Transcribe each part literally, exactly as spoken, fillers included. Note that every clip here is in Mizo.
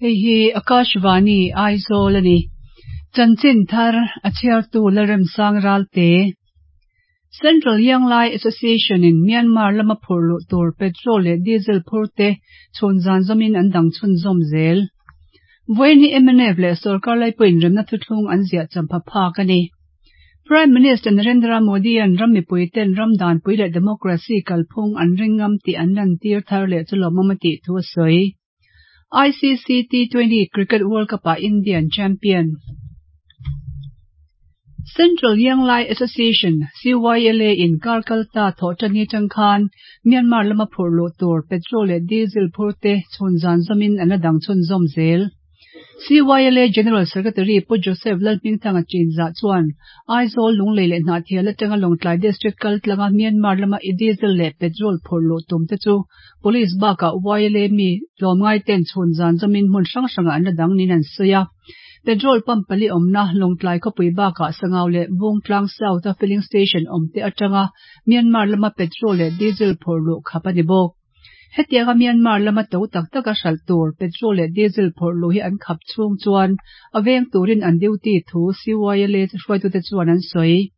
Hei hi Akashvani Aizawl a ni. Chanchin thar a chhiartu Lalremsang Ralte. Central Young Lai Association in Myanmar lama phurh luh tur petrol leh diesel phur te chhun zan zawmin an dang chhunzawm zel. Vawiin hi M N F leh sorkar lai pawhin remna thuthlung an ziah champha phak a ni. Prime Minister Narendra Modi an ram mipui ten ram danpui leh democracy kalphung an ring ngam tih an lantir thar leh chu lawmawm a tih thu a sawi. I C C T twenty Cricket World Cup ah Indian champion. Central Young Lai Association C Y L A in kar kalta thawhṭani atang khan Myanmar lama phurh luh tur petrol leh diesel phur te chhun zan zawmin an la dang chhunzawm zel. C Y L A General Secretary Pu Joseph Lalhmingthanga Chinzah chuan Aizawl, Lunglei leh Hnahthial atanga Lawngtlai District kal tlanga Myanmar lama diesel leh petrol phurh luh tum te chu Police bakah Y L A mi tlawmngai ten chhun zan zawmin hmun hrang hrangah an la dang niin an sawi a. Petrol pump pali awmna Lawngtlai khawpui bakah Sangau leh Bungtlang South a filling station awm te atanga Myanmar lama petrol leh diesel phurh luh khap a ni bawk. Hetianga Myanmar lama to tak taka hralh tur petrol leh diesel phurh luh hi an khap chhung chuan a veng turin an duty thu C Y L A hruaitute chuan an sawi.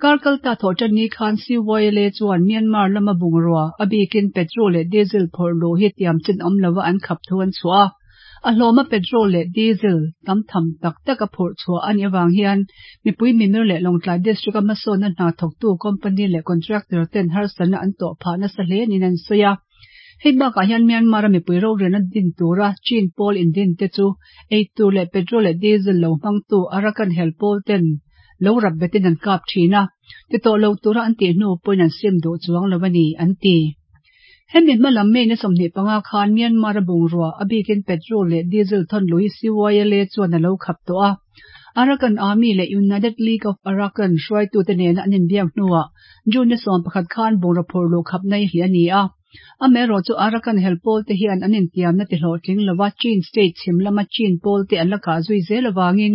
Kar kalta thawhṭanni khan C Y L A chuan Myanmar lama bungrua a bikin petrol leh diesel phurh luh hi tiam chin awm lova an khap thu an chhuah a. A hlawma petrol leh diesel tam tham tak tak a phurh chhuah a nih avang hian mipui mimir leh Lawngtlai District a hmasawnna hna thawktu company leh contractor ten harsatna an tawh phah nasa hle niin an sawi a. Hei bakah hian Myanmar a mipui rorelna din tura Chin pawl indin te chu eitur leh petrol leh diesel lo hmangtu Arakan hel pawl ten lo rap betin an kap thin a, ti tawh lo tura an tih hnu pawhin an sim duh chuang lo a ni an ti. Hemi hmalam May ni sawmhnih panga khan Myanmar a bungrua a bikin petrol leh diesel thawn luh hi C Y L A chuan a lo khap tawh a. Arakan Army leh United League of Arakan hruaitute nena an inbiak hnuah June ni sawm pakhat khan bungraw phurh luh khap nai hle a ni a. Amaherawh chu Arakan hel pawl te hian an intiamna ti hlawhtling lova Chin State chhim lama Chin pawl te an la kah zui zel awangin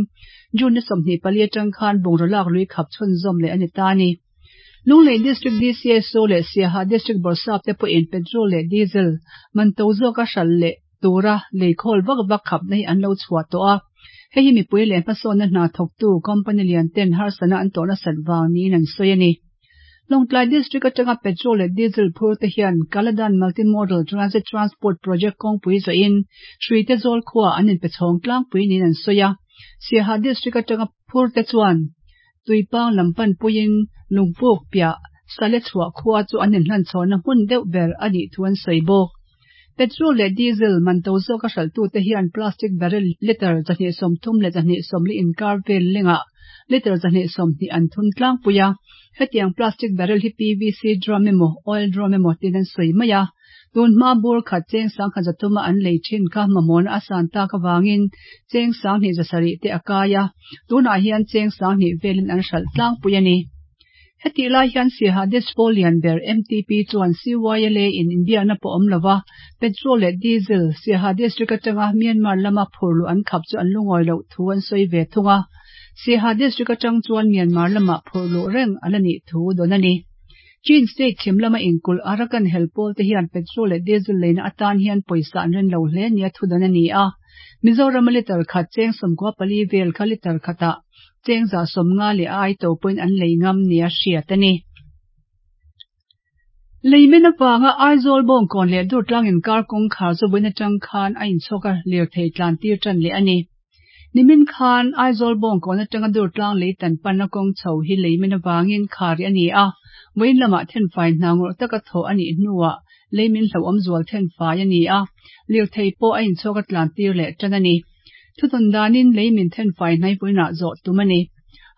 June ni sawmhnih pali atang khan bungraw lak lui khap chhunzawm leh a ni ta a ni. Lunglei District D C S O leh Siaha District Bawrhsap te pawhin petrol leh diesel man to zawka hralh leh tura leikhawl vak vak khapna hi an lo chhuah tawh a. Hei hi mipui leh hmasawnna hna thawktu company lian ten harsatna an tawhna sat vang niin an sawi a ni. Lawngtlai District atanga petrol leh diesel phur te hian Kaladan Multimodal Transit Transport Project kawngpui zawhin Hruite zawl khuaa an inpe chhawng tlangpui niin an sawi a. Siaha District atanga phur te chuan Tuipang lam pan puiin Lungpuk piah Sale chhuah khua chu an inhlan chhawnna hmun deuh ber a nih thu an sawi bawk. Petrol leh diesel man to zawka hralhtute hian plastic barrel litre zahnih sawmthum leh zahnih sawmli inkar vel lengah litre zahnih sawmhnih an thun tlangpui a. Hetiang plastic barrel hi P V C drum emaw oil drum emaw tin an sawi mai a. Tun hma bur khat cheng sangkhat zathuma an lei thin kha mamawhna a san tak awangin cheng sanghnih zasarih te a kai a. Tunah hian cheng sanghnih velin an hralh tlangpui a ni. Hetih lai hian Siaha District lian ber M T P chuan C Y L A in inbiakna pawh awm lova petrol leh diesel Siaha District atanga Myanmar lama phurh luh an khap chu an lungawi loh thu an sawi ve thung a. Siaha District atang chuan Myanmar lama phurh luh reng ala nih thu dawn a ni. Chin State chhim lama inkul Arakan hel pawl te hian petrol leh diesel leina atan hian pawisa an ren lo hle nia thu dawn a ni a. Mizoram a litre khat cheng sawmkua pali vel kha litre khatah cheng za sawmnga leh a ai to pawhin an lei ngam nia hriat a ni. Leimin awanga Aizawl Bawngkawn leh Durtlang inkar kawngkhar chu vawiin atang khan a inchhawk a lirthei tlan tir tan leh a ni. Nimin khan Aizawl Bawngkawn atanga Durtlang leitan panna kawng chho hi leimin awangin khari a ni a. Vawiin lamah thenfai hna ngawrh taka thawh a nih hnuah leimin hlauhawm zual thenfai a ni a. Lirthei pawh a inchhawk a tlan tir leh tan a ni. Thuthawn danin leimin thenfai hnai vawiinah zawh tum a ni.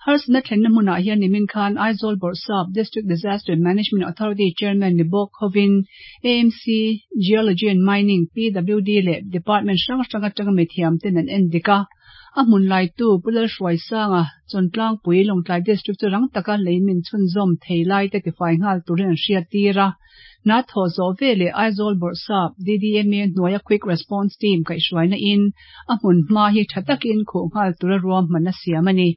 Harsatna thlenna hmunah hian nimin khan Aizawl Bawrhsap, District Disaster Management Authority Chairman ni bawk hovin A M C, Geology and Mining, P W D leh Department hrang hrang atanga mithiam ten an en dik a. A hmun laitu Pu Lalhruaisanga Chawntlangpui Lawngtlai District chu rang taka leimin chhunzawm thei lai te tifai nghal turin an hriat tir a. Na thaw zawh veleh Aizawl Bawrhsap D D M A hnuaia Quick Response Team kaihhruaina in a hmun hma hi tha takin khuh nghal tura ruahman a siam a ni.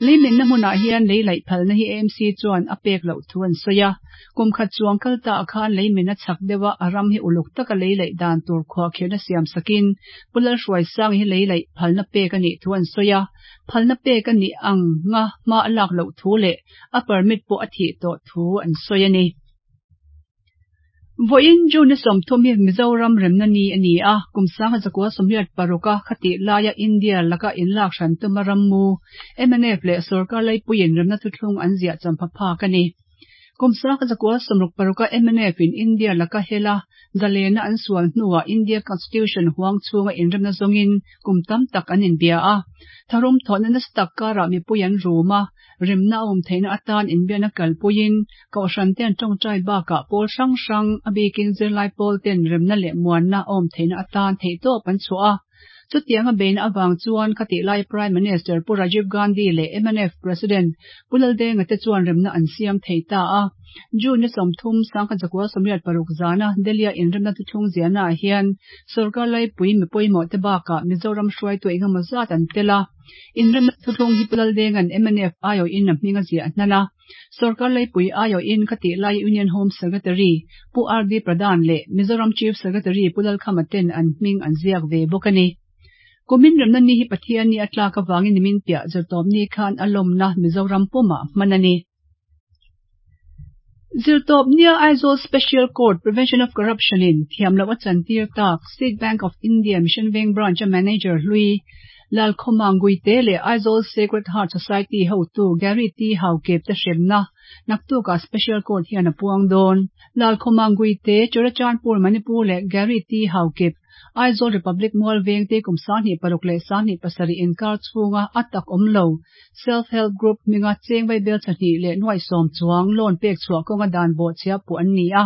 Leimin na hmunah hian lei laih phalna hi A M C chuan a pek loh thu an sawi a. Kum khat chuang kal ta ah khan leimin a chhak deuh a, a ram hi uluk taka lei laih dan tur khuahkhirhna siam sakin Pu Lalhruaisanga hi lei laih phalna pek a nih thu an sawi a. Phalna pek a nih ang nga hma a lak loh thu leh a permit pawh a thih tawh thu an sawi a ni. Vawiin June sawmthum hi Mizoram remna ni a ni a, kum sangha zakua sawmriat paruk a khatih laia India laka inlak hran tuma rammu M N F leh sorkar laipuiin remna thuthlung an ziah champha phak a ni. Kum sangha zakua sawmruk paruk a M N F in India laka hela zalena an sual hnuah India Constitution huang chhunga inremna zawngin kum tam tak an inbia a. Tharum thawhna nasa tak karah mipui an rum a, remna a awm theihna atan inbiakna kalpuiin kohhran ten tawngtai bakah pawl hrang hrang a bikin zirlai pawl ten remna leh muanna a awm theihna atan theihtawp an chhuah a. Chutianga beina awang chuan khatih lai Prime Minister Pu Rajiv Gandhi leh M N F President Pu Laldenga te chuan remna an siam thei ta a. June ni sawmthum sangkhat zakua sawmriat paruk zana Delhi a inremna thuthlung ziahna ah hian sorkar laipui mi pawimawh te bakah Mizoram hruaitu engemaw zat an tel a. Inremna thuthlung hi Pu Laldenga'n M N F aiawhin a hming a ziah hnan a. Sorkar laipui aiawhin khatih lai Union Home Secretary Pu R D Pradhan leh Mizoram Chief Secretary Pu Lalkhama ten an hming an ziak ve bawk a ni. Kumin remna ni hi Pathian ni a tlak awangin nimin piah zirtawp ni khan a lawmna Mizoram pumah hman a ni. Zirtawp nia Aizawl Special Court Prevention of Corruption in thiam loh a chantir tak State Bank of India Mission Veng Branch a manager hlui Lalkhawma Guite leh Aizawl Sacred Heart Society hotu Gary T Haukep te hremna naktukah Special Court hian a puang dawn. Lalkhawma Guite, Churachandpur Manipur leh Gary T Haukep Aizawl Republic Mual Veng te kum sanghnih paruk leh sanghnih pasarih inkar chhunga a tak awm lo Self Help Group hminga cheng vaibel chahnih leh nuai sawm chuang loan pek chhuah kawnga dan bawh chhia puh an ni a.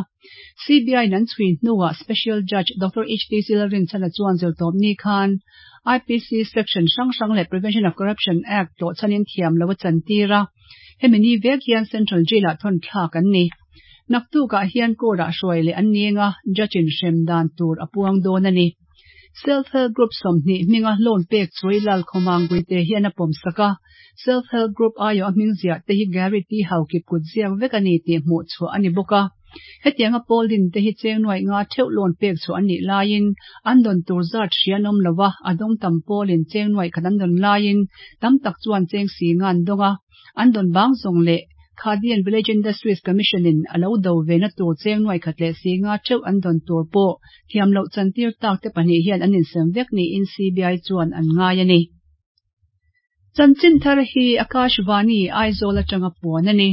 C B I in an chhui hnuah Special Judge Doctor H T C Lalrinchhana chuan zirtawp ni khan I P C section hrang hrang leh Prevention of Corruption Act tlawh chhanin thiam lo a chantir a. Hemi ni vek hian Central Jail ah thawn thlak an ni. Naktukah hian court ah hruai leh an ninga judge in hrem dan tur a puang dawn a ni. Self Help Group sawmhnih hminga loan pek chui Lalkhawma Guite hian a pawm sak a. Self Help Group aiawh a hming ziah te hi Gary T Haukip kut ziak vek a ni tih hmuh chhuah a ni bawk a. Hetianga pawl din te hi cheng nuai nga theuh loan pek chhuah an nih laiin an dawn tur zat hria an awm lo a, a dawng tam pawlin cheng nuai khat an dawn laiin tam tak chuan cheng si nga an dawng a. An dawn bang zawng leh Khadi and Village Industries Commission in a lo do ve na tur cheng nuai khat leh si nga theuh an dawn tur pawh thiam loh chantir tak te pahnih hian an insem vek niin C B I chuan an ngai a ni. Chanchin thar hi Akashvani Aizawl atanga puan a ni.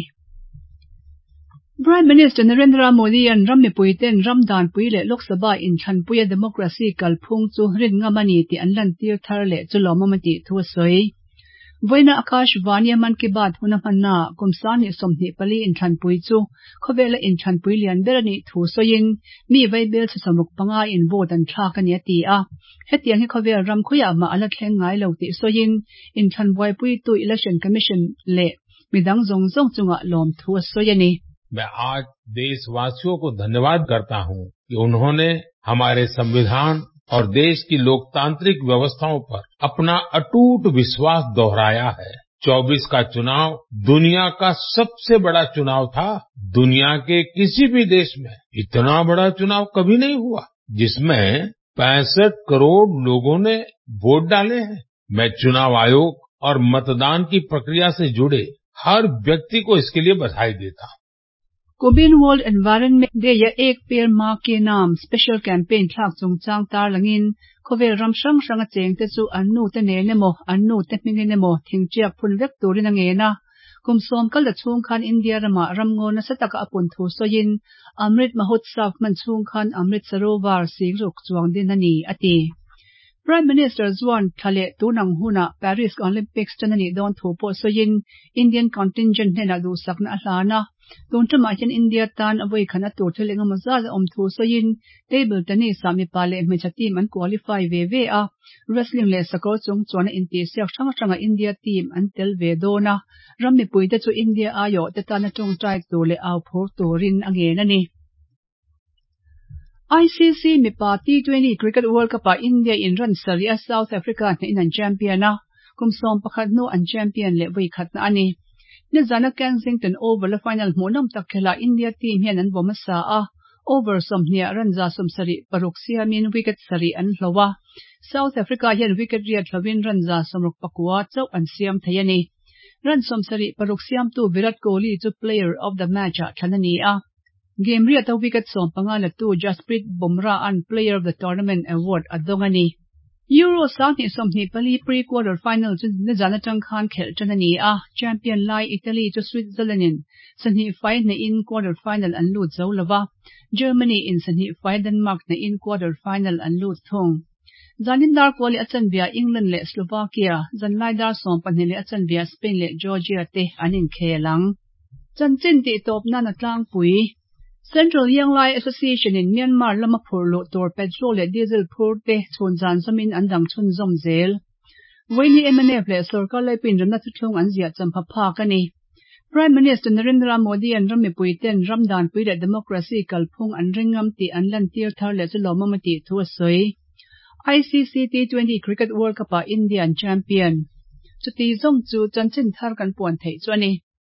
Prime Minister Narendra Modi an ram mipui ten ram dan pui leh Lok Sabha inthlanpuia democracy kalphung chu rin ngam a ni tih an lantir thar leh chu lawmawm a tih thu a sawi. Vawiina Akashvani a Mann Ki Baat huna hmanna kum sanghnih sawmhnih pali inthlanpui chu khawvela inthlanpui lian ber a nih thu sawiin mi vaibel chhe sawmruk panga in vote an thlak a ni a ti a. Hetiang hi khawvel ram khawiah mah a la thleng ngai lo tih sawiin inthlan buaipuitu Election Commission leh midang zawng zawng chungah lawm thu a sawi a ni. मैं आज देशवासियों को धन्यवाद करता हूं कि उन्होंने हमारे संविधान और देश की लोकतांत्रिक व्यवस्थाओं पर अपना अटूट विश्वास दोहराया है। चौबीस का चुनाव दुनिया का सबसे बड़ा चुनाव था। दुनिया के किसी भी देश में इतना बड़ा चुनाव कभी नहीं हुआ जिसमें पैंसठ करोड़ लोगों ने वोट डाले हैं। मैं चुनाव आयोग और मतदान की प्रक्रिया से जुड़े हर व्यक्ति को इसके लिए बधाई देता हूं। Kumin World Environment Day a ek per ma ke naam special campaign thlak chungchang tarlangin khawvel ram hrang hrang a cheng te chu an nu te nen emaw an nu te hmingin emaw thingṭiak phun vek turin a ngen a. Kum sawm kal la chhung khan India rama ramngaw nasa taka a pun thu sawiin Amrit Mahotsav hman chhung khan Amrit Sarovar sigruk chuang din a ni a ti. Prime Minister chuan thla leh tunang huna Paris Olympics tan a nih dawn thu pawh sawiin Indian contingent hnenah duhsakna a hlan a. Tun ṭamah hian India tan a vawi khan a tur thil engemaw zat a awm thu sawiin table tennis ah mipa leh hmeichhe team an qualify ve ve a. Wrestling leh sakawr chung chuan a intihsiak hrang hranga India team an tel ve dawn a. Ram mipui te chu India aiawh te tana tawngtai tur leh au phur turin a ngen a ni. I C C mipa T twenty Cricket World Cup ah India in run sarih a South Africa hnehin an champion a. Kum sawm pakhat hnu an champion leh vawi khatna a ni. Nizana Kensington Oval a final hmuhnawm tak khelhah India team hian an vawm hmasa a, over sawmhnih run za sawmsarih paruk siamin wicket sarih an hloh a. South Africa hian wicket riat hlohin run za sawmruk pakua chauh an siam thei a ni. Run sawmsarih paruk siamtu Virat Kohli chu player of the match ah thlan a ni a. Game riata wicket sawm panga latu Jasprit Bumrah an player of the tournament award a dawng a ni. Euro sanghnih sawmhnih pali pre-quarter final chu nizan atang khan khelh tan a ni a. Champion lai Italy chu Switzerland in sahnih fai hnehin quarter final an lut zo lova. Germany in sahnih fai Denmark hnehin quarter final an lut thung. Zanin dar kuali a chanvia England leh Slovakia, zanlai dar sawm pahnih leh a chanvia Spain leh Georgia te an inkhel ang. Chanchin tih tawp nan a tlangpui. Central Young Lai Association in Myanmar lama phurh luh tur petrol leh diesel phur te chhun zan zawmin an dang chhunzawm zel. Vawiin M N F leh sorkar laipui inremna thuthlung an ziah champha phak a ni. Prime Minister Narendra Modi an ram mipui ten ram danpui leh democracy kalphung an ringam tih an lantir thar leh chu lawmawm a tih thu a sawi. I C C T twenty Cricket World Cup ah Indian champion. Chuti zawng chu chanchin thar kan puan theih chu a ni.